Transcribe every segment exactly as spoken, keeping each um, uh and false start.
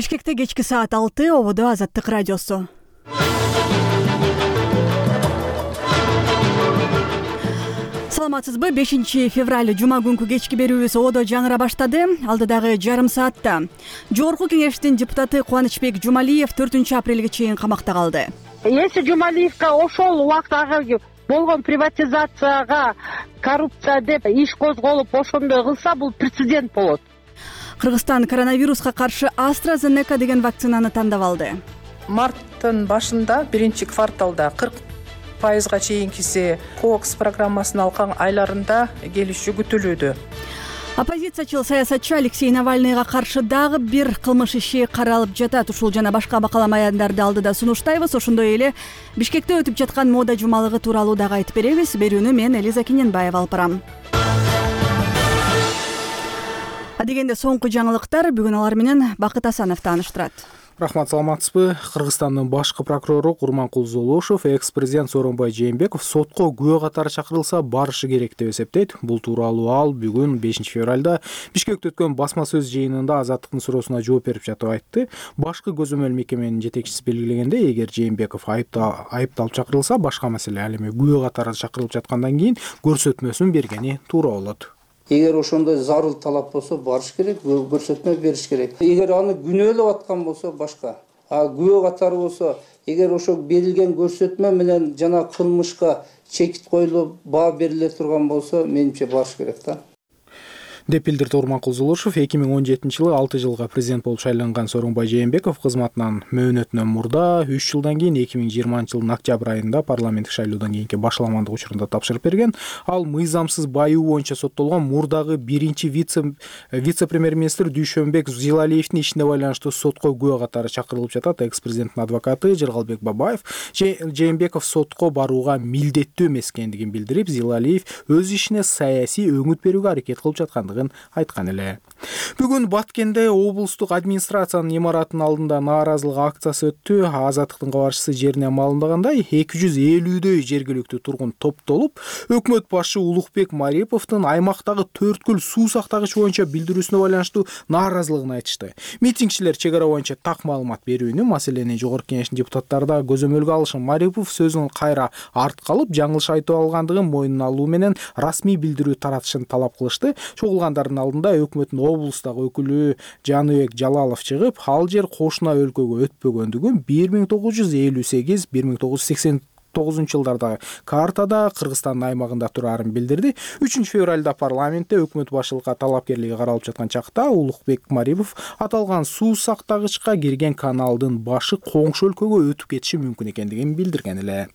Бишкекте кечки саат алты, ободо Азаттык радиосу. Саламатсызбы? бешинчи февраль жума күнкү кечки берүүбүз ободо жаңыра баштады. Алдыдагы жарым саатта Жогорку Кеңештин депутаты Кубанычбек Жумалиев төртүнчү апрелге чейин камакта калды. Если Жумалиевка ошол убакыт болгон приватизацияга коррупция деп иш козголуп ошондой кылса, бул прецедент болот. Кыргызстан коронавируска каршы AstraZeneca деген вакцинаны тандап алды. Марттын башында биринчи кварталда кырк пайызга чейинкиси кокс программасын алган айларында келишүү күтүлүүдө. Оппозициячыл саясатчы Алексей Навальныйга каршы дагы бир кылмыш иши каралып жатат. Ушул жана башка бакалама аянттарды алдыда сунуштайбыз. Ошондой эле Бишкекте өтүп жаткан мода жумалыгы тууралуу дагы айтып беребиз. Берүүнү мен Элиза Киненбаева алып барам. Адегенде соңку жаңылыктар, бүгүн алар менен Бакыт Асанов тааныштырат. Рахмат, саламатсызбы? Кыргызстандын башкы прокурору Курманкул Золошов экс-президент Сооронбай Жээнбеков сотко күбө катары чакырылса барышы керек деп эсептейт. Бул тууралуу ал бүгүн бешинчи февралда Бишкекте өткөн басма сөз жыйынында Азаттыктын суроосуна жооп берип жатып айтты. Башкы көзөмөл мекеменин жетекчиси белгилегенде, эгер Жээнбеков айыпталып чакырылса, башка маселе. Ал эми күбө катары чакырылып жаткандан кийин көрсөтмөсүн бергени туура болот. Эгер ошондой зарыл талап болсо барыш керек, көрсөтмө бериш керек. Эгер аны күнөөлөп аткан болсо башка. А күбө катары болсо, эгер ошо берилген көрсөтмө менен жана кылмышка чекит коюлуп баа бериле турган болсо, менимче барыш керек да. деп билдирди Курманкул Золошов. эки миң он жетинчи жылы алты жылга президент болуп шайланган Сооронбай Жээнбеков кызматынан мөөнөтүнөн мурда үч жылдан кийин эки миң жыйырманчы жылдын октябрь айында парламенттик шайлоодон кийинки башаламандык учурунда тапшырып берген. Ал мыйзамсыз байуу боюнча соттолгон мурдагы биринчи вице вице-премьер-министр Дүйшөнбек Зилалиевдин ишине байланыштуу сотко күбө катары чакырылып жатат. Экс-президенттин адвокаты Жыргалбек Бабаев Жээнбеков сотко барууга милдеттүү эмес экендигин билдирип, Зилалиев өз ишине саясий өңүт берүүгө аракет кылып жаткандыгын айткан эле. Бүгүн Баткенде облустук администрациянын имаратынын алдында нааразылык акциясы өттү. Азаттыктын кабарчысы жерине маалымдагандай, эки жүз элүүдөй жергиликтүү тургун топтолуп, өкмөт башы Улукбек Мариповдун аймактагы төрткүл суу сактагыч боюнча билдирүүсүнө байланыштуу нааразылыгын айтышты. Митингчилер чек ара боюнча так маалымат берүүнү, маселени Жогорку Кеңештин депутаттары да көзөмөлгө алышын. Марипов сөзүн кайра артка алып, жаңылыш айтып алгандыгын мойнуна алуу менен расмий билдирүү таратышын талап кылышты. Чогулгандардын алдында өкмөттүн облустагы өкүлү Жаныбек Жалалов чыгып, ал жер кошуна өлкөгө өтпөгөндүгүн бир миң тогуз жүз элүү сегиз — бир миң тогуз жүз сексен тогузунчу жылдардагы картада Кыргызстандын аймагында турарын билдирди. үчүнчү февралда парламентте өкмөт башчылыкка талапкерлиги каралып жаткан чакта Улукбек Марипов аталган суу сактагычка кирген каналдын башы коңшу өлкөгө өтүп кетиши мүмкүн экендигин билдирген эле.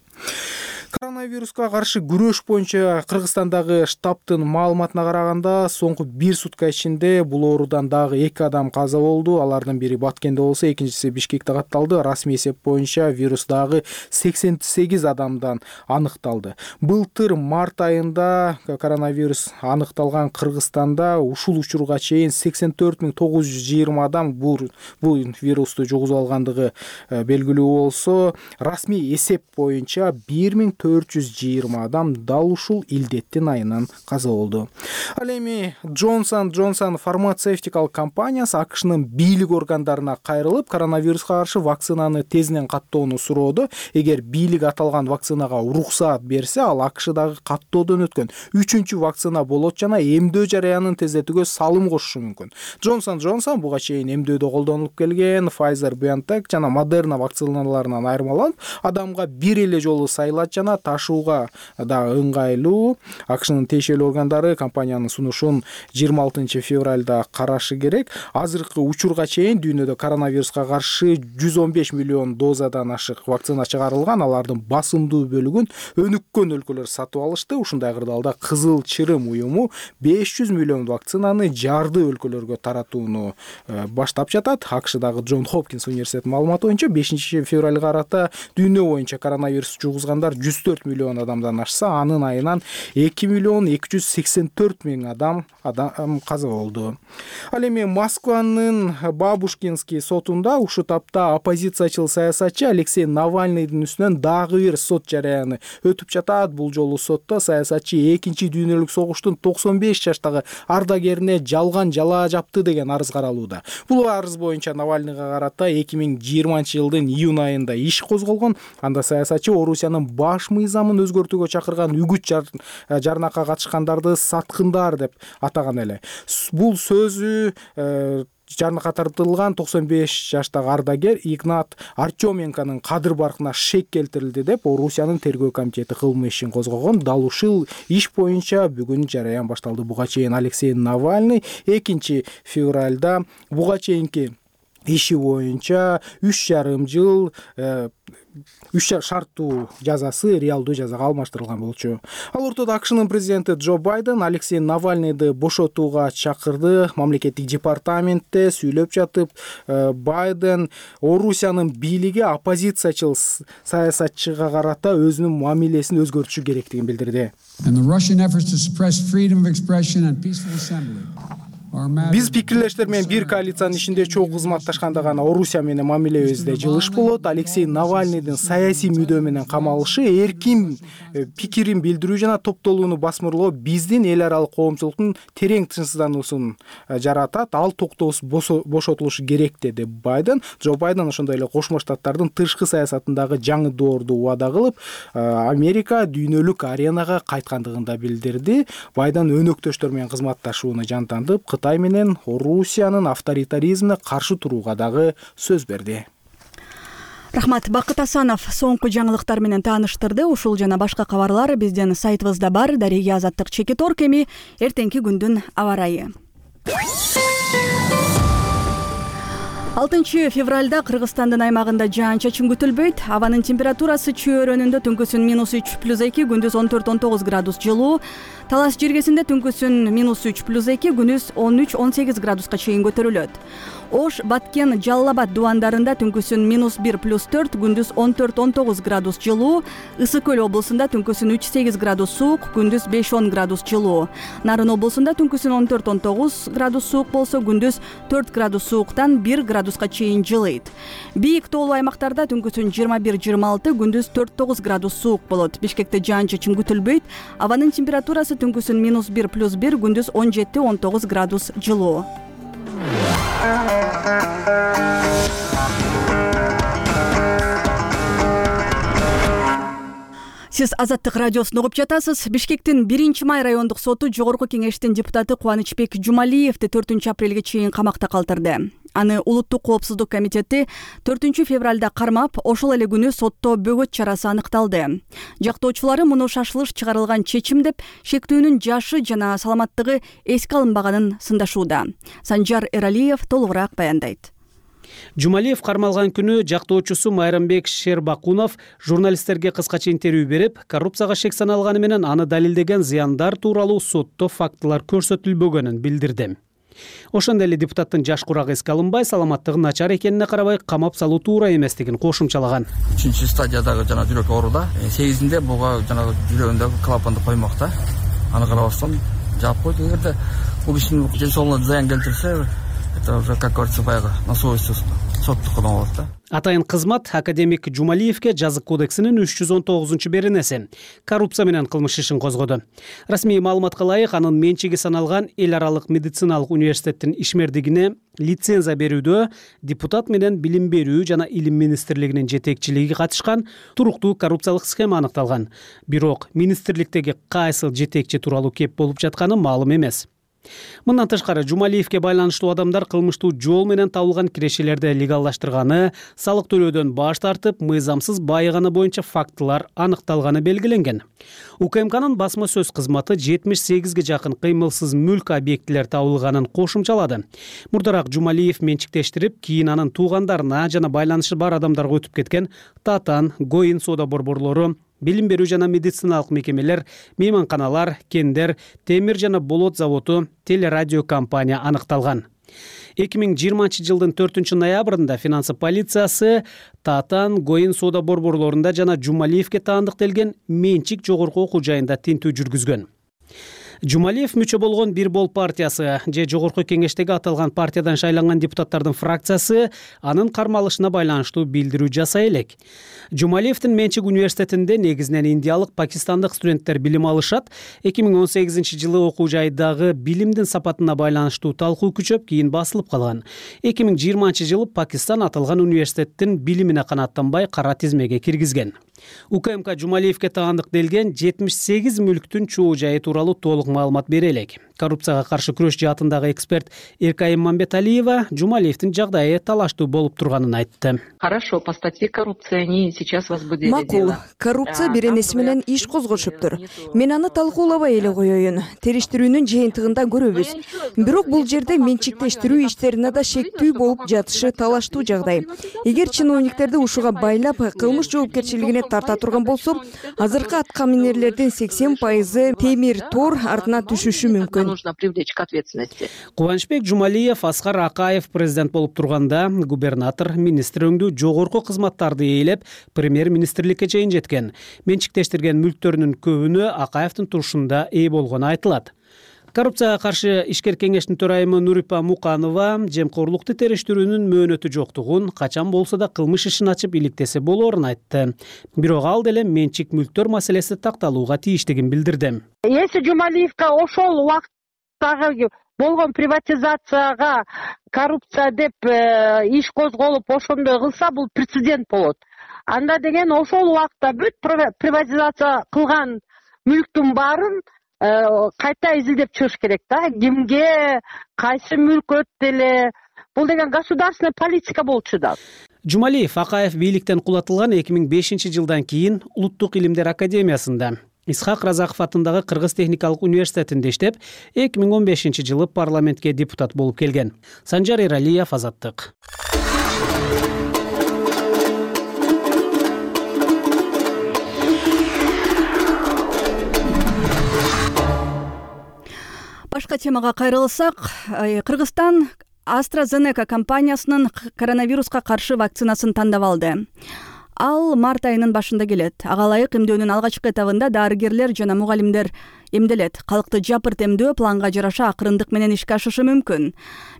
Коронавируска каршы күрөш боюнча Кыргызстандагы штабтын маалыматына караганда, соңку бир сутка ичинде бул оорудан дагы эки адам каза болду. Алардын бири Баткенде болсо, экинчиси Бишкекте катталды. Расмий эсеп боюнча вирус дагы сексен сегиз адамдан аныкталды. Былтыр март айында коронавирус аныкталган Кыргызстанда ушул учурга чейин сексен төрт миң тогуз жүз жыйырма адам бул вирусту жугузуп алгандыгы белгилүү болсо, расмий эсеп боюнча бир миң төрт жүз жыйырма адам дал ушул илдеттин айынан каза болду. Ал эми Johnson Johnson фармацевтикалык компаниясы АКШнын бийлик органдарына кайрылып, коронавируска каршы вакцинаны тезинен каттоону суроодо. Эгер бийлик аталган вакцинага уруксаат берсе, ал АКШдагы каттоодон өткөн үчүнчү вакцина болот жана эмдөө жараянын тездетүүгө салым кошушу мүмкүн. Johnson Johnson буга чейин эмдөөдө колдонулуп келген Pfizer-BioNTech жана Moderna вакциналарынан айырмаланып, адамга бир эле жолу сайлат жана ташууга да ыңгайлуу. АКШнын тиешелүү органдары компаниянын сунушун жыйырма алтынчы февралда карашы керек. Азыркы учурга чейин дүйнөдө коронавируска каршы жүз он беш миллион дозадан ашык вакцина чыгарылган. Алардын басымдуу бөлүгүн өнүккөн өлкөлөр сатып алышты. Ушундай кырдаалда Кызыл Чырым уюму беш жүз миллион вакцинаны жарды өлкөлөргө таратууну баштап жатат. АКШдагы Джон Хопкинс университетинин маалыматы боюнча бешинчи февралга карата дүйнө боюнча коронавирус жугузгандар жүз төрт төрт миллион адамдан ашса, анын айынан эки миллион эки жүз сексен төрт миң адам адам каза болду. Ал эми Москванын Бабушкинский сотунда ушул тапта оппозициячыл саясатчы Алексей Навальныйдын үстүнөн дагы бир сот жарыяны өтүп жатат. Бул жолу сотто саясатчы экинчи дүйнөлүк согуштун токсон беш жаштагы ардагерине жалган жала жапты деген арыз каралууда. Бул арыз боюнча Навальныйга карата эки миң жыйырманчы жылдын июнь айында иш козголгон. Анда саясатчы Орусиянын баш мыйзамын өзгөртүүгө чакырган үгүт жарнакка катышкандарды саткындар деп атаган эле. Бул сөзү жарнакка тартылган токсон беш жаштагы ардагер Игнат Артеменконун кадыр баркына шек келтирилди деп Орусиянын тергөө комитети кылмыш ишин козгогон. Дал ушул иш боюнча бүгүн жараян башталды. Буга чейин Алексей Навальный экинчи февралда буга чейинки иши боюнча үч жарым жыл үч шарттуу жазасы реалдуу жазага алмаштырылган болчу. Ал ортодо АКШнын президенти Джо Байден Алексей Навальныйды бошотууга чакырды. Мамлекеттик департаментте сүйлөп жатып, Байден Орусиянын бийлиги оппозициячыл саясатчыга карата өзүнүн мамилесин өзгөртүшү керектигин билдирди. Биз пикирлештер менен бир коалициянын ичинде чогуу кызматташканда гана Орусия менен мамилебизде жылыш болот. Алексей Навальныйдын саясий мүдөө менен камалышы эркин пикирин билдирүү жана топтолууну басмырлоо биздин эл аралык коомчулуктун терең тынчсыздануусун жаратат. Ал токтоосуз бошотулушу керек деди Байден. Джо Байден ошондой эле Кошмо Штаттардын тышкы саясатындагы жаңы доорду убада кылып, Америка дүйнөлүк аренага кайткандыгын да билдирди. Байден өнөктөштөр менен кызматташууну жантантып, Кытай менен Орусиянын авторитаризмине каршы турууга дагы сөз берди. Рахмат. Бакыт Асанов соңку жаңылыктар менен тааныштырды. Ушул жана башка кабарлар биздин сайтыбызда бар. Дарига Азаттык Чекиторк. Эми эртеңки күндүн аба ырайы. алтынчы февралда Кыргызстандын аймагында жаан-чачын күтүлбөйт. Абанын температурасы чөйрөнүндө түнкүсүн минус үч плюс эки, күндүз он төрт он тогуз градус жылуу. Талас жергесинде түнкүсүн минус үч плюс эки, күндүз он үч он сегиз градуска чейин көтөрүлөт. Ош, Баткен, Жалал Абад дубандарында түнкүсүн минус бир плюс төрт, күндүз он төрт он тогуз градус жылуу. Ысык көл облусунда түнкүсүн үч сегиз градус суук, күндүз беш он градус жылуу. Нарын облусунда түнкүсүн он төрт он тогуз градус суук болсо, күндүз төрт градус сууктан бир градуска чейин жылыйт. Бийик тоолуу аймактарда түнкүсүн жыйырма бир жыйырма алты, күндүз төрт тогуз градус суук болот. Бишкекте жаан-чачын күтүлбөйт. Абанын температурасы түнкүсүн минус бир плюс бир, күндүз он жети он тогуз градус жылуу. Сиз Азаттык радиосун угуп жатасыз. Бишкектин биринчи май райондук соту жогорку кеңештин депутаты Кубанычбек Жумалиевди төртүнчү апрелге чейин камакта калтырды. Аны Улуттук коопсуздук комитети төртүнчү февралда кармап, ошол эле күнү сотто бөгөт чарасы аныкталды. Жактоочулары муну шашылыш чыгарылган чечим деп, шектүүнүн жашы жана саламаттыгы эске алынбаганын сындашууда. Санжар Эралиев толугураак баяндайт. Жумалиев кармалган күнү жактоочусу Майрамбек Шербакунов журналисттерге кыскача интервью берип, коррупцияга шек саналганы менен аны далилдеген зыяндар тууралуу сотто фактылар көрсөтүлбөгөнүн билдирди. Ошондой эле депутаттын жаш курагы эске алынбай, саламаттыгы начар экенине карабай камап салуу туура эместигин кошумчалаган. үчүнчү стадиядагы жана жүрөк ооруда, сегизинде буга жана жүрөгүндөгү клапанды коймокта. Аны карабастан жаап койду. Эгерде бул кишинин ден соолугуна зыян келтирсе, это уже, как говорится, баягы на совести соттукуна болот да. Атайын кызмат академик Жумалиевке жазык кодексинин үч жүз он тогузунчу беренеси коррупция менен кылмыш ишин козгоду. Расмий маалыматка ылайык, анын менчиги саналган эл аралык медициналык университеттин ишмердигине лицензия берүүдө депутат менен билим берүү жана илим министрлигинин жетекчилиги катышкан туруктуу коррупциялык схема аныкталган. Бирок министрликтеги кайсыл жетекчи тууралуу кеп болуп жатканы маалым эмес. Мындан тышкары Жумалиевке байланыштуу адамдар кылмыштуу жол менен табылган кирешелерди легалдаштырганы, салык төлөөдөн баш тартып, мыйзамсыз байыганы боюнча фактылар аныкталганы белгиленген. УКМКнын басма сөз кызматы жетимиш сегизге жакын кыймылсыз мүлк объектилер табылганын кошумчалады. Мурдараак Жумалиев менчиктештирип, кийин анын туугандарына жана байланышы бар адамдарга өтүп кеткен Татан, Гоин соода борборлору, билим берүү жана медициналык мекемелер, мейманканалар, кендер, темир жана болот заводу, телерадио компания аныкталган. эки миң жыйырманчы жылдын төртүнчү ноябрында финансы полициясы Татан, Гоин соода борборлорунда жана Жумалиевке таандыктелген менчик жогорку окуу жайында тинтүү жүргүзгөн. Жумалиев мүчө болгон Бир Бол партиясы же жогорку кеңештеги аталган партиядан шайланган депутаттардын фракциясы анын кармалышына байланыштуу билдирүү жасай элек. Жумалиевдин менчик университетинде негизинен индиялык, пакистандык студенттер билим алышат. эки миң он сегизинчи жылы окуу жайдагы билимдин сапатына байланыштуу талкуу күчөп, кийин басылып калган. эки миң жыйырманчы жылы Пакистан аталган университеттин билимине канааттанбай кара тизмеге киргизген. УКМК Жумалиевке таандыктелген жетимиш сегиз мүлктүн чоо жайы тууралуу толук маалымат бере элек. Коррупцияга каршы күрөш жаатындагы эксперт Эркайым Мамбеталиева Жумалиевдин жагдайы талаштуу болуп турганын айтты. Хорошо, по статье коррупции они сейчас возбудили Макул, дело. коррупция беренеси менен иш козгошуптур. Мен аны талкуулабай эле коеюн. Териштирүүнүн жыйынтыгында көрөбүз. Бирок бул жерде менчиктештирүү иштерине да шектүү болуп жатышы талаштуу жагдай. Эгер чиновниктерди ушуга байлап кылмыш жоопкерчилигине тарта турган болсо, азыркы аткаминерлердин сексен пайызы темир тор артына түшүшү мүмкүн. Нужно привлечь к ответственности. Кубанычбек Жумалиев, Аскар Акаев президент болуп турганда губернатор министр өңдүү жогорку кызматтарды ээлеп, премьер-министрликке чейин жеткен. Менчиктештирген мүлктөрүнүн көбүнө Акаевдин турушунда ээ болгону айтылат. Коррупцияга каршы ишкер кеңештин төрайымы Нурипа Муканова жемкорлукту териштирүүнүн мөөнөтү жоктугун, качан болсо да кылмыш ишин ачып иликтесе болоорун айтты. Бирок ал деле менчик мүлктөр маселеси такталууга тийиштигин билдирди. Если Жумалиевке ошол убакыттагы болгон приватизацияга коррупция деп иш козголуп ошондой кылса, бул прецедент болот. Анда деген ошол убакта бүт приватизация кылган мүлктүн баарын кайта изилдеп чыгыш керек да. Кимге, кайсы мүлк өттү эле. Бул деген государственный политика болчу да. Жумалиев Акаев бийликтен кулатылган эки миң бешинчи жылдан кийин Улуттук илимдер академиясында, Исхак Разаков атындагы Кыргыз техникалык университетинде иштеп, эки миң он бешинчи жылы парламентке депутат болуп келген. Санжар Эралиев, Азаттык. Башка темага кайрылсак, Кыргызстан AstraZeneca компаниясынын коронавируска каршы вакцинасын тандап алды. Ал март айынын башында келет. Ага ылайык эмдөөнүн алгачкы этабында дарыгерлер жана мугалимдер эмделет. Калкты жапырт эмдөө планга жараша акырындык менен ишке ашышы мүмкүн.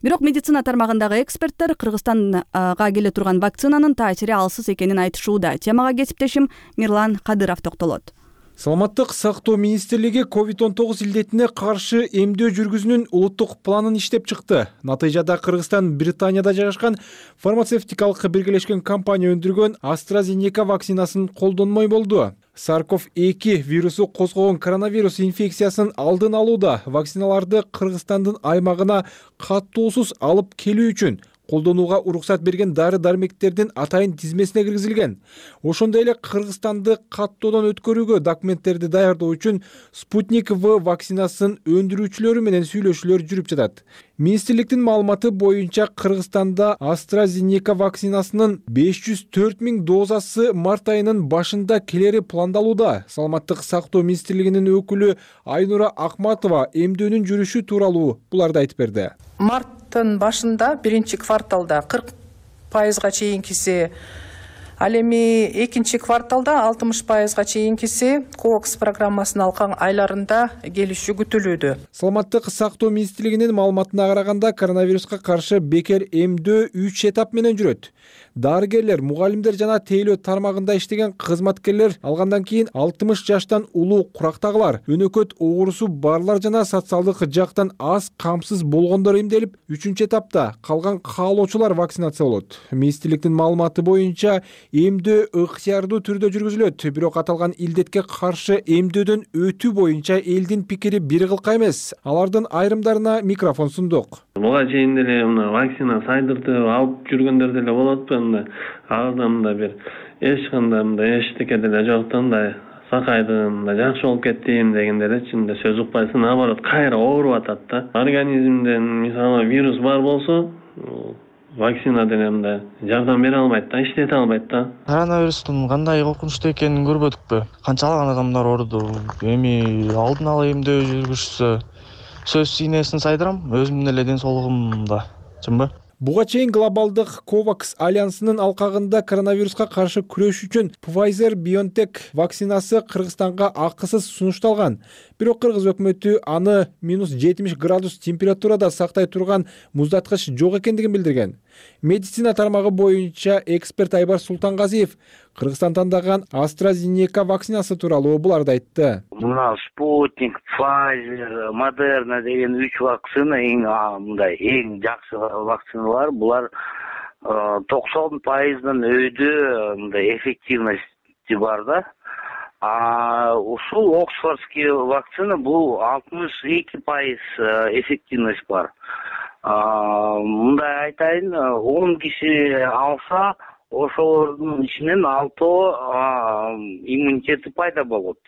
Бирок медицина тармагындагы эксперттер Кыргызстанга келе турган вакцинанын таасири алсыз экенин айтышууда. Темага кесиптешим Мирлан Кадыров токтолот. Саламаттык сактоо министрлиги ковид он тогуз илдетине каршы эмдөө жүргүзүүнүн улуттук планын иштеп чыкты. Натыйжада Кыргызстан Британияда жайгашкан фармацевтикалык биргелешкен компания өндүргөн AstraZeneca вакцинасын колдонмой болду. Сарков эки вирусу козгогон коронавирус инфекциясын алдын алууда вакциналарды Кыргызстандын аймагына каттоосуз алып келүү үчүн колдонууга уруксат берген дары-дармектердин атайын тизмесине киргизилген. Ошондой эле Кыргызстанды каттоодон өткөрүүгө документтерди даярдоо үчүн Спутник В вакцинасын өндүрүүчүлөрү менен сүйлөшүүлөр жүрүп жатат. Министрликтин маалыматы боюнча Кыргызстанда AstraZeneca вакцинасынын беш жүз төрт миң дозасы март айынын башында келери пландалууда. Саламаттык сактоо министрлигинин өкүлү Айнура Акматова эмдөөнүн жүрүшү тууралуу буларды айтып берди. Марттын башында биринчи кварталда кырк пайызга чейинкиси, ал эми экинчи кварталда алтымыш пайызга чейинкиси ковакс программасын алган айларында келиши күтүлүүдө. Саламаттык сактоо министрлигинин маалыматына караганда коронавируска каршы бекер эмдөө үч этап менен жүрөт. Дарыгерлер, мугалимдер жана тейлөө тармагында иштеген кызматкерлер, алгандан кийин алтымыш жаштан улуу курактагылар, өнөкөт оорусу барлар жана социалдык жактан аз камсыз болгондор эмделип, үчүнчү этапта калган каалоочулар вакцинация болот. Министрликтин маалыматы боюнча эмдөө ыктыярдуу түрдө жүргүзүлөт, бирок аталган илдетке каршы эмдөөдөн өтүү боюнча элдин пикири бир кылка эмес. Алардын айрымдарына микрофон сундук. Буга чейин деле мына вакцина сайдыртып алып жүргөндөр деле болот. Ага мындай бир эч кандай мындай эчтеке деле жок, мындай сакайдым, жакшы болуп кеттим дегенде эле чынында сөз укпайсың, наоборот кайра ооруп атат да. Организмден мисалы вирус бар болсо, вакцина деле мындай жардам бере албайт да, иштете албайт да. Коронавирустун кандай коркунучтуу экенин көрбөдүкпү? Канчалаган адамдар ооруду? Эми алдын ала эмдөө жүргүзсө сөз сийнесин сайдырам, өзүмдүн эле ден соолугумда чынбы? Буга чейин глобалдык ковакс альянсынын алкагында коронавируска каршы күрөш үчүн Pfizer-BioNTech вакцинасы Кыргызстанга акысыз сунушталган. Бирок Кыргыз өкмөтү аны минус жетимиш градус температурада сактай турган муздаткыч жок экендигин билдирген. Медицина тармагы боюнча эксперт Айбар Султангазиев Кыргызстан тандаган AstraZeneca вакцинасы тууралуу буларды айтты. Мына Спутник, Pfizer, Moderna деген үч вакцина эң мындай эң жакшы вакциналар. Булар токсон пайыздан өйдө мындай эффективности бар да. А ушул Оксфордский вакцина бул алтымыш эки пайыз эффективность бар. Мындай айтайын, он киши алса, ошолордун ичинен алтоо иммунитети пайда болот.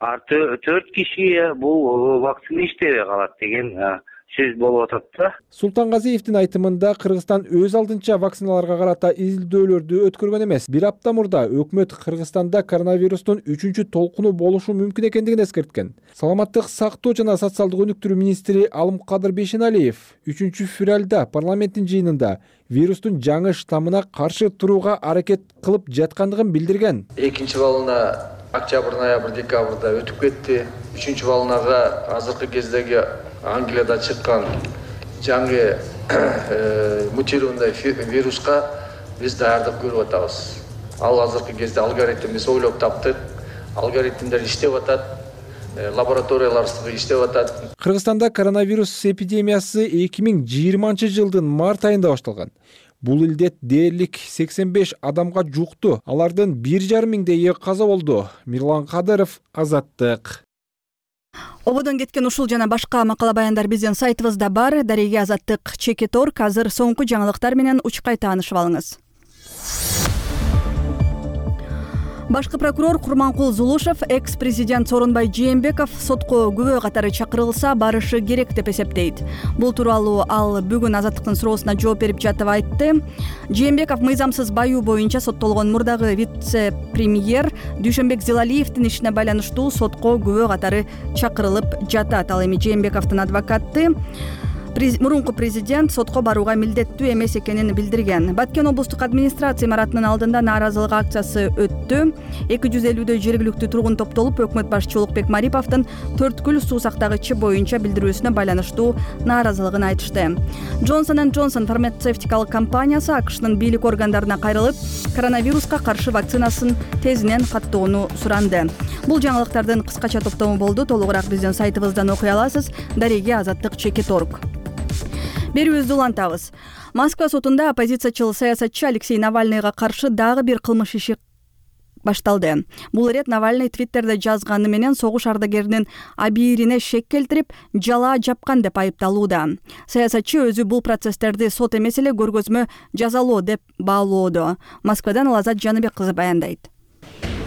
А төрт киши бул вакцина иштебей калат деген сөз болуп атат да. Султангазиевдин айтымында Кыргызстан өз алдынча вакциналарга карата изилдөөлөрдү өткөргөн эмес. Бир апта мурда өкмөт Кыргызстанда коронавирустун үчүнчү толкуну болушу мүмкүн экендигин эскерткен. Саламаттык сактоо жана социалдык өнүктүрүү министри Алымкадыр Бейшеналиев үчүнчү февралда парламенттин жыйынында вирустун жаңы штаммына каршы турууга аракет кылып жаткандыгын билдирген. Экинчи волна октябрь, ноябрь, декабрда өтүп кетти. Үчүнчү волнага азыркы кездеги Англияда чыккан жаңы мутированный вируска биз даярдык көрүп атабыз. Ал азыркы кезде алгоритм биз ойлоп таптык. Алгоритмдер иштеп атат. Лабораториялар иштеп атат. Кыргызстанда коронавирус эпидемиясы эки миң жыйырманчы жылдын март айында башталган. Бул илдет дээрлик сексен беш адамга жукту. Алардын бир жарым миңдейи каза болду. Мирлан Кадыров, Азаттык. Ободон кеткен ушул жана башка макала баяндар биздин сайтыбызда бар. Дареге Азаттык чекит орг. Азыр соңку жаңылыктар менен учкай таанышып алыңыз. Башкы прокурор Курманкул Зулушев экс-президент Сооронбай Жээнбеков сотко күбө катары чакырылса барышы керек деп эсептейт. Бул тууралуу ал бүгүн Азаттыктын суроосуна жооп берип жатып айтты. Жээнбеков мыйзамсыз баюу боюнча соттолгон мурдагы вице-премьер Дүйшөнбек Зилалиевдин ишине байланыштуу сотко күбө катары чакырылып жатат. Ал эми Жээнбековдун адвокаты мурунку президент сотко барууга милдеттүү эмес экенин билдирген. Баткен облустук администрация имаратынын алдында нааразылык акциясы өттү. эки жүз элүүдөй жергиликтүү тургун топтолуп өкмөт башчы Улукбек Мариповдун төрткүл суу сактагычы боюнча билдирүүсүнө байланыштуу нааразылыгын айтышты. Johnson энд Johnson фармацевтикалык компаниясы АКШнын бийлик органдарына кайрылып, коронавируска каршы вакцинасын тезинен каттоону суранды. Бул жаңылыктардын кыскача топтому болду. Толугураак биздин сайтыбыздан окуй аласыз. Дареге Азаттык чекит орг. Берүүбүздү улантабыз. Москва сотунда оппозициячыл саясатчы Алексей Навальныйга каршы дагы бир кылмыш иши башталды. Бул ирет Навальный Твиттерде жазганы менен согуш ардагеринин абийирине шек келтирип, жала жапкан деп айыпталууда. Саясатчы өзү бул процесстерди сот эмес эле көргөзмө жазалоо деп баалоодо. Москвадан Лазат Жаныбек кызы баяндайт.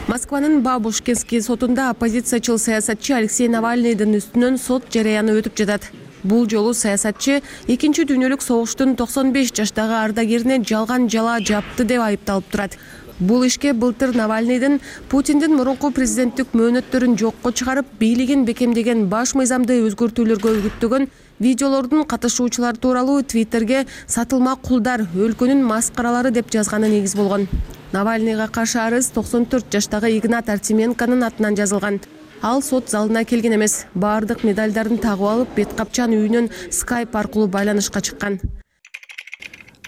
Москванын Бабушкинский сотунда оппозициячыл саясатчы Алексей Навальныйдын үстүнөн сот жарыяны өтүп жатат. Бул жолу саясатчы экинчи дүйнөлүк согуштун токсон беш жаштагы ардагерине жалган жала жапты деп айыпталып турат. Бул ишке былтыр Навальныйдын Путиндин мурунку президенттик мөөнөттөрүн жокко чыгарып, бийлигин бекемдеген баш мыйзамды өзгөртүүлөргө үгүттөгөн видеолордун катышуучулары тууралуу Твиттерге сатылма кулдар, өлкөнүн маскаралары деп жазганы негиз болгон. Навальныйга каршы арыз токсон төрт жаштагы Игнат Артеменконун атынан жазылган. Ал сот залына келген эмес. Бардык медалдарын тагып алып, бет капчан үйүнөн скайп аркылуу байланышка чыккан.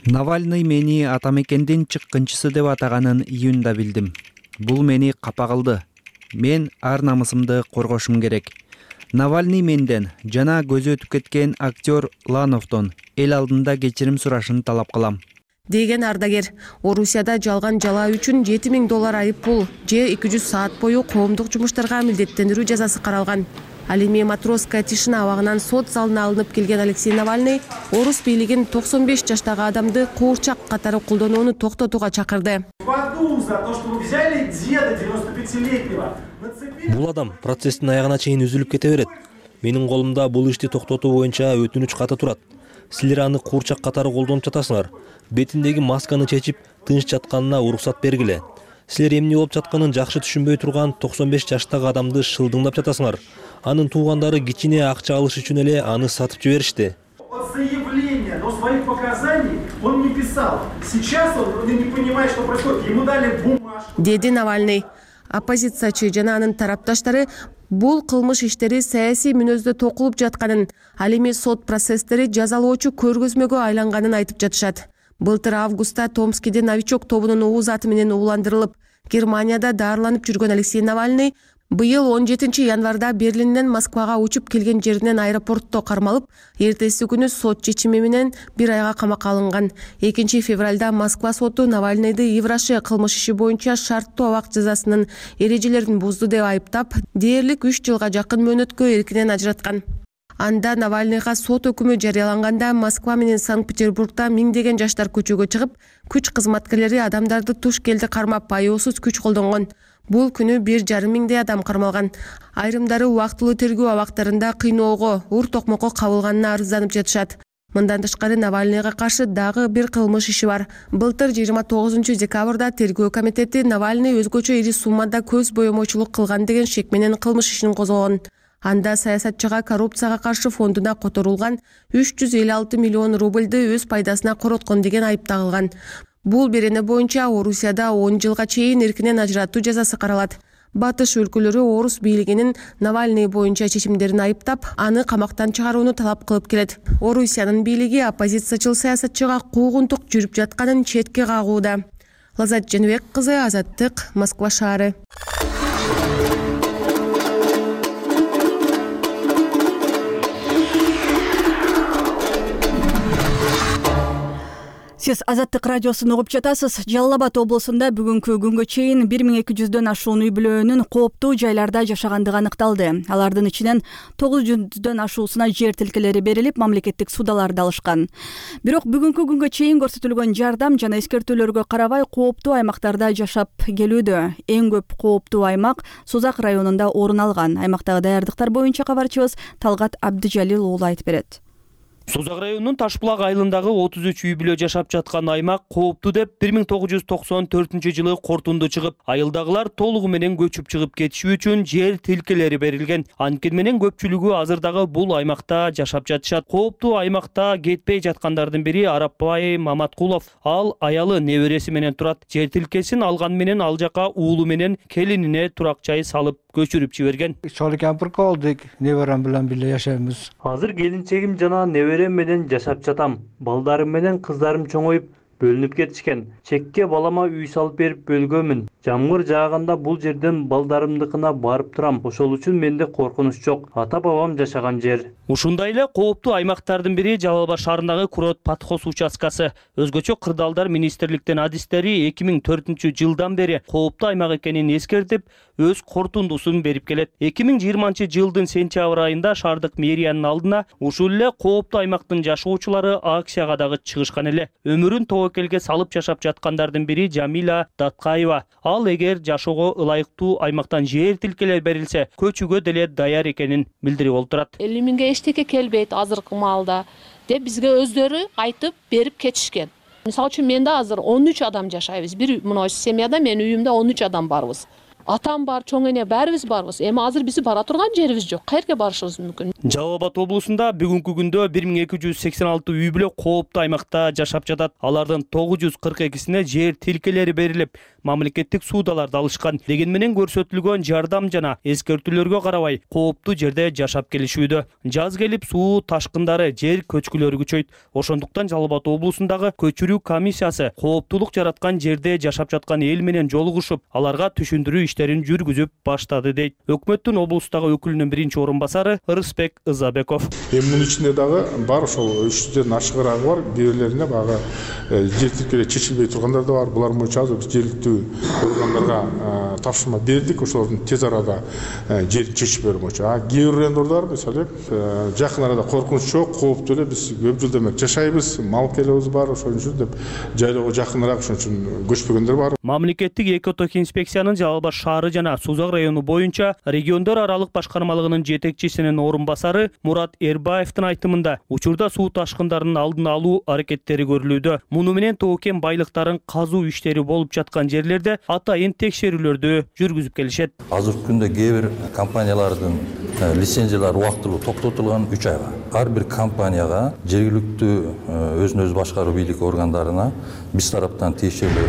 Навальный мени атамекендин чыккынчысы деп атаганын июнда билдим. Бул мени капа кылды. Мен ар намысымды коргошум керек. Навальный менден жана көзү өтүп кеткен актер Лановдон эл алдында кечирим сурашын талап кылам. Деген ардагер, Орусияда жалган жала үчүн жети миң доллар айып пул же эки жүз саат бою коомдук жумуштарга милдеттендирүү жазасы каралган. Ал эми Матросская тишина абагынан сот залына алынып келген Алексей Навальный орус бийлигин токсон беш жаштагы адамды куурчак катары колдонууну токтотууга чакырды. Бул адам процесстин аягына чейин үзүлүп кете берет. Менин колумда бул ишти токтотуу боюнча өтүнүч каты турат. Силер аны куурчак катары колдонуп жатасыңар. Бетиндеги масканы чечип, тынч жатканына уруксат бергиле. Силер эмне болуп жатканын жакшы түшүнбөй турган токсон беш жаштагы адамды шылдыңдап жатасыңар. Анын туугандары кичине акча алыш үчүн эле аны сатып жиберишти. своих показаний он не писал. Сейчас он не понимает, что происходит. Ему дали бумажку. Деди Навальный. Оппозициячы жана анын тарапташтары бул кылмыш иштери саясий мүнөздө токулуп жатканын, ал эми сот процесстери жазалоочу көргөзмөгө айланганын айтып жатышат. Былтыр августта Томскиде новичок тобунун ууз аты менен ууландырылып, Германияда даарыланып жүргөн Алексей Навальный быйыл он жетинчи январда Берлинден Москвага учуп келген жеринен аэропортто кармалып, эртеси күнү сот чечими менен бир айга камакка алынган. экинчи февралда Москва соту Навальныйды Евраши кылмыш иши боюнча шарттуу абак жазасынын эрежелерин бузду деп айыптап, дээрлик үч жылга жакын мөөнөткө эркинен ажыраткан. Анда Навальныйга сот өкүмү жарыяланганда Москва менен Санкт-Петербургда миңдеген жаштар көчөгө чыгып, күч кызматкерлери адамдарды туш келди кармап, аяосуз күч колдонгон. Бул күнү бир жарым миңдей адам кармалган. Айрымдары убактылуу тергөө абактарында кыйноого, ур токмокко кабылганына арызданып жатышат. Мындан тышкары Навальныйга каршы дагы бир кылмыш иши бар. Былтыр жыйырма тогузунчу декабрда тергөө комитети Навальный өзгөчө ири суммада көз боемочулук кылган деген шек менен кылмыш ишин козгогон. Анда саясатчыга коррупцияга каршы фондуна которулган үч жүз элүү алты миллион рубльды өз пайдасына короткон деген айып тагылган. Бул берене боюнча Орусияда он жылга чейин эркинен ажыратуу жазасы каралат. Батыш өлкөлөрү орус бийлигинин Навальный боюнча чечимдерин айыптап, аны камактан чыгарууну талап кылып келет. Орусиянын бийлиги оппозициячыл саясатчыга куугунтук жүрүп жатканын четке кагууда. Лазат Женбек кызы, Азаттык, Москва шаары. Сиз Азаттык радиосун угуп жатасыз. Жалал Абад облусунда бүгүнкү күнгө чейин бир миң эки жүздөн ашуун үй бүлөнүн кооптуу жайларда жашагандыгы аныкталды. Алардын ичинен тогуз жүздөн ашуусуна жер тилкелери берилип, мамлекеттик судаларды алышкан. Бирок бүгүнкү күнгө чейин көрсөтүлгөн жардам жана эскертүүлөргө карабай кооптуу аймактарда жашап келүүдө. Эң көп кооптуу аймак Сузак районунда орун алган. Аймактагы даярдыктар боюнча кабарчыбыз Талгат Абдыжалил уулу айтып берет. Сузак районунун Ташбулак айылындагы отуз үч үй бүлө жашап жаткан аймак кооптуу деп бир миң тогуз жүз токсон төртүнчү жылы корутунду чыгып, айылдагылар толугу менен көчүп чыгып кетиши үчүн жер тилкелери берилген. Анткени менен көпчүлүгү азырдагы бул аймакта жашап жатышат. Кооптуу аймакта кетпей жаткандардын бири Арапбай Маматкулов. Ал аялы небереси менен турат. Жер тилкесин алган менен ал жака уулу менен келинине турак жай салып көчүрүп жиберген. Чоң кемпир колдук, неберем менен бирге жашайбыз. Азыр келинчегим жана неберем менен жашап жатам. Балдарым менен кыздарым чоңоюп бөлүнүп кетишкен. Чекке балама үй салып берип бөлгөмүн. Жамгыр жааганда бул жерден балдарымдыкына барып турам. Ошол үчүн менде коркунуч жок. Ата бабам жашаган жер. Ушундай эле кооптуу аймактардын бири Жалал Абад шаарындагы Курот Патхос участкасы. Өзгөчө кырдаалдар министрликтин адистери эки миң төртүнчү жылдан бери кооптуу аймак экенин эскертип, өз корутундусун берип келет. эки миң жыйырманчы жылдын сентябрь айында шаардык мэриянын алдына ушул эле кооптуу аймактын жашоочулары акцияга дагы чыгышкан эле. Өмүрүн тобокелге салып жашап жаткандардын бири Жамила Даткаева. Ал эгер жашоого ылайыктуу аймактан жер тилкелер берилсе, көчүүгө деле даяр экенин билдирип олтурат. элүү миңге эчтеке келбейт азыркы маалда деп бизге өздөрү айтып берип кетишкен. Мисалы үчүн менде азыр он үч адам жашайбыз. Бир мына семьяда мен үйүмдө он үч адам барбыз. Атам бар, чоң эне баарыбыз барбыз. Эми азыр биздин бара турган жерибиз жок. Каерге барышыбыз мүмкүн? Жалал Абад облусунда бүгүнкү күндө бир миң эки жүз сексен алты үй бүлө кооптуу аймакта жашап жатат. Алардын тогуз жүз кырк экисине жер тилкелери берилип, мамлекеттик суудаларды алышкан. Деген менен көрсөтүлгөн жардам жана эскертүүлөргө карабай кооптуу жерде жашап келишүүдө. Жаз келип суу ташкындары, жер көчкүлөрү күчөйт. Ошондуктан Жалал Абад облусундагы көчүрүү комиссиясы кооптуулук жараткан жерде жашап жаткан эл менен жолугушуп, аларга түшүндүрүү иштерин жүргүзүп баштады дейт. Өкмөттүн облустагы өкүлүнүн биринчи орун басары Рысбек Ызабеков. Эми мунун ичинде дагы бар ошол үч жүздөн ашыгыраагы бар. Бирлерине багы жер тилкелери чечилбей тургандар да бар. Булар боюнча азыр биз жергиликтүү органдарга тапшырма бердик. Ошолордун тез арада жерин чечип берүү боюнча. А кээ бир райондордор мисалы жакын арада коркунуч жок, кооптуу эле биз көп жыл демек жашайбыз, мал келебиз бар, ошон үчүн деп жайлоого жакыныраак ошон үчүн көчпөгөндөр бар. Мамлекеттик экоток инспекциянын Жалал Абад шаары жана Сузак району боюнча региондор аралык башкармалыгынын жетекчисинин орун басары Мурат Эрбаевдин айтымында учурда суу ташкындарынын алдын алуу аракеттери көрүлүүдө. Муну менен тоо-кен байлыктарын казуу иштери болуп жаткан жерлерде атайын текшерүүлөрдү өткөрүүлөрдү жүргүзүп келишет. Азыркы күндө кээ бир компаниялардын лицензиялары убактылуу токтотулган үч айга. Ар бир компанияга жергиликтүү өзүн өзү башкаруу бийлик органдарына биз тараптан тиешелүү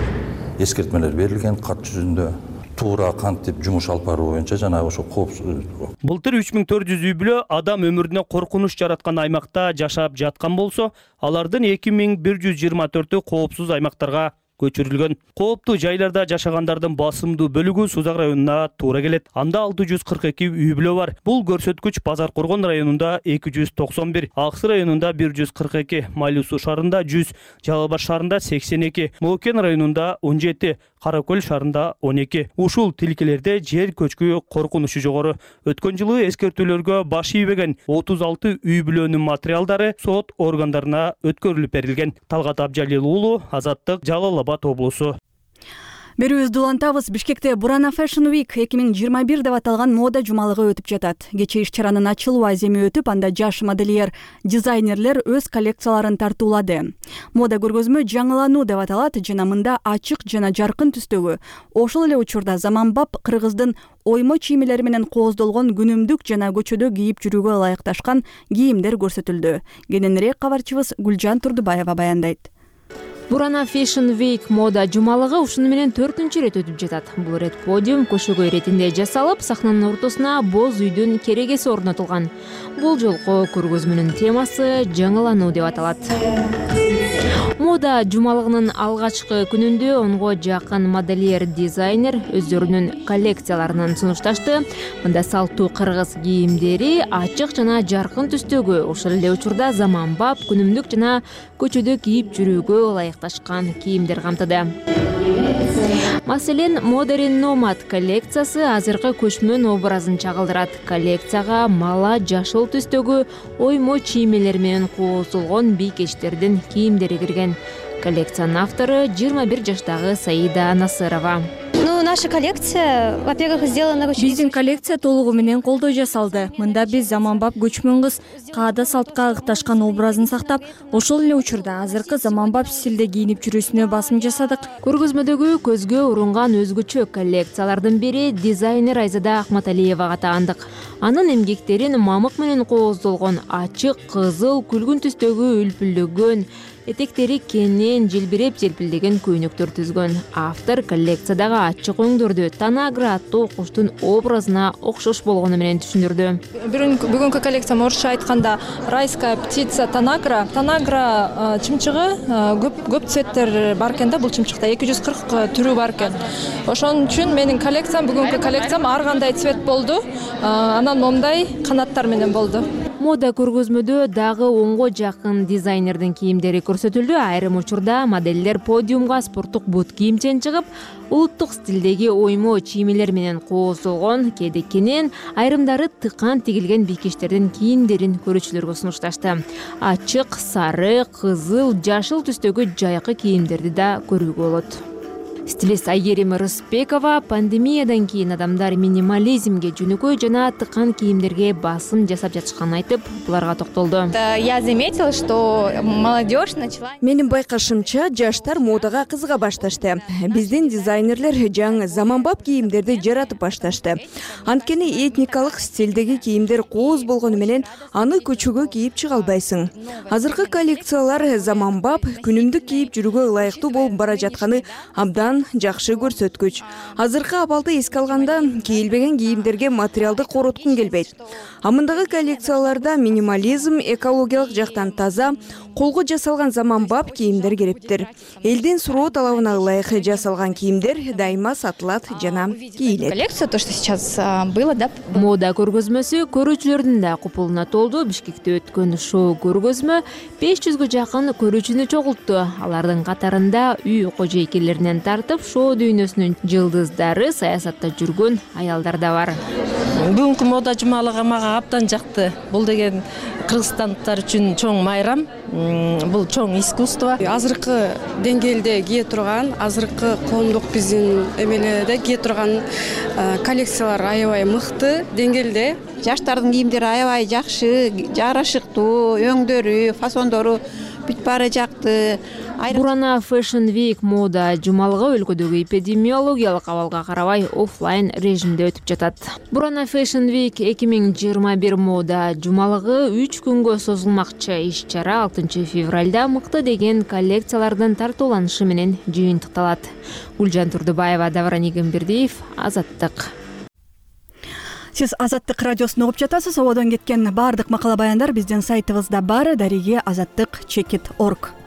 эскертмелер берилген кат жүзүндө. Туура кантип жумуш алып баруу боюнча жанагы ошо коопсуз. Былтыр үч миң төрт жүз үй бүлө адам өмүрүнө коркунуч жараткан аймакта жашап жаткан болсо, алардын эки миң бир жүз жыйырма төртү коопсуз аймактарга көчүрүлгөн. Кооптуу жайларда жашагандардын басымдуу бөлүгү Сузак районуна туура келет. Анда алты жүз кырк эки үй бүлө бар. Бул көрсөткүч Базар Коргон районунда эки жүз токсон бир, Аксы районунда бир жүз кырк эки, Майлуу Суу шаарында жүз, Жалал Баш шаарында сексен эки, Моокен районунда он жети, Кара Көл шаарында он эки. Ушул тилкелерде жер көчкү коркунучу жогору. Өткөн жылы эскертүүлөргө баш ийбеген отуз алты үй бүлөнүн материалдары сот органдарына өткөрүлүп берилген. Талгат Абжалил уулу, Азаттык, Жалал Абад облусу. Берүүбүздү улантабыз. Бишкекте Бурана Fashion Week эки миң жыйырма бир деп аталган мода жумалыгы өтүп жатат. Кечээ иш-чаранын ачылуу аземи өтүп, анда жаш модельер, дизайнерлер өз коллекцияларын тартуулады. Мода көргөзмө жаңылануу деп аталат жана мында ачык жана жаркын түстөгү, ошол эле учурда заманбап кыргыздын оймо чиймелери менен кооздолгон күнүмдүк жана көчөдө кийип жүрүүгө ылайыкташкан кийимдер көрсөтүлдү. Кененирээк кабарчыбыз Гүлжан Турдубаева баяндайт. Бурана Fashion Week мода жумалыгы ушуну менен төртүнчү ирет өтүп жатат. Бул ирет подиум көшөгөй иретинде жасалып, сахнанын ортосуна боз үйдүн керегеси орнотулган. Бул жолку көргөзмөнүн темасы жаңылануу деп аталат. Мода жумалыгынын алгачкы күнүндө онго жакын модельер, дизайнер өздөрүнүн коллекцияларын сунушташты. Мында салтуу кыргыз кийимдери ачык жана жаркын түстөгү, ошол эле учурда заманбап күнүмдүк жана көчөдө кийип жүрүүгө ылайыкташкан кийимдер камтыды. Маселен, Modern Nomad коллекциясы азыркы көчмөн образын чагылдырат. Коллекцияга мала жашыл түстөгү оймо чиймелер менен кооздолгон бийкечтердин кийимдери кирген. Коллекциянын автору жыйырма бир жаштагы Саида Насырова. Ну, наша коллекция, во-первых, сделана очень... Биздин коллекция толугу менен колдо жасалды. Мында биз заманбап көчмөн кыз каада салтка ыкташкан образын сактап, ошол эле учурда азыркы заманбап стилде кийинип жүрүүсүнө басым жасадык. Көргөзмөдөгү көзгө урунган өзгөчө коллекциялардын бири дизайнер Айзада Акматалиевага таандык. Анын эмгектерин мамык менен кооздолгон ачык кызыл күлгүн түстөгү үлпүлдөгөн, этектери кенен жылбиреп желпилдеген көйнөктөр түзгөн. Автор коллекциядагы ачык өңдөрдү Танагра аттуу куштун образына окшош болгону менен түшүндүрдү. Бүгүнкү коллекциям орусча айтканда райская птица Танагра. Танагра чымчыгы көп көп цветтер бар экен да, бул чымчыкта эки жүз кырк түрү бар экен. Ошон үчүн менин коллекциям, бүгүнкү коллекциям ар кандай цвет болду. Анан момундай канаттар менен болду. Мода көргөзмөдө дагы онго жакын дизайнердин кийимдери көрсөтүлдү. Айрым учурда модельдер подиумга спорттук бут кийимчен чыгып, улуттук стилдеги оймо чиймелер менен кооздолгон, кээде кенен, айрымдары тыкан тигилген бийкечтердин кийимдерин көрүүчүлөргө сунушташты. Ачык, сары, кызыл, жашыл түстөгү жайкы кийимдерди да көрүүгө болот. Стилист Айгерим Рыспекова пандемиядан кийин адамдар минимализмге жөнөкөй жана тыкан кийимдерге басым жасап жатышканын айтып, буларга токтолду. Я заметила, что молодежь начала... Менин байкашымча, жаштар модага кызыга башташты. Биздин дизайнерлер жаңы заманбап кийимдерди жаратып башташты. Анткени этникалык стилдеги кийимдер кооз болгону менен аны көчөгө кийип чыга албайсың. Азыркы коллекциялар заманбап, күнүмдүк кийип жүрүүгө ылайыктуу болуп бара жатканы абдан жакшы көрсөткүч. Азыркы абалды эске алганда кийилбеген кийимдерге материалды короткун келбейт. Амындагы коллекцияларда минимализм, экологиялык жактан таза, колго жасалган заманбап кийимдер керектир. Элдин суроо талабына ылайык жасалган кийимдер дайыма сатылат жана кийилет. Коллекция, то, что сейчас было, да? Мода көргөзмөсү көрүүчүлөрдүн да купулуна толду. Бишкекте өткөн шоу көргөзмө беш жүзгө жакын көрүүчүнү чогултту. Алардын катарында үй кожойкелеринен тартып шоу дүйнөсүнүн жылдыздары, саясатта жүргөн аялдар да бар. Бүгүнкү мода жумалыгы мага абдан жакты. Бул деген кыргызстандыктар үчүн чоң майрам, бул чоң искусство. Азыркы деңгээлде кие турган, азыркы коомдук биздин эмелерде кие турган коллекциялар аябай мыкты деңгээлде. Жаштардын кийимдери аябай жакшы, жарашыктуу, өңдөрү, фасондору бүтүп бара жакты. Бурана Fashion Week мода жумалыгы өлкөдөгү эпидемиологиялык абалга карабай оффлайн режимде өтүп жатат. Бурана Fashion Week эки миң жыйырма бир мода жумалыгы үч күнгө созулмакчы. Иш-чара алтынчы февралда мыкты деген коллекциялардын тартууланышы менен жыйынтыкталат. Гүлжан Турдубаева, Давран Игембердиев, Азаттык. Сиз Азаттык радиосун угуп жатасыз. Ободон кеткен баардык макала баяндар биздин сайтыбызда бар. Дареги азаттык чекит точка орг.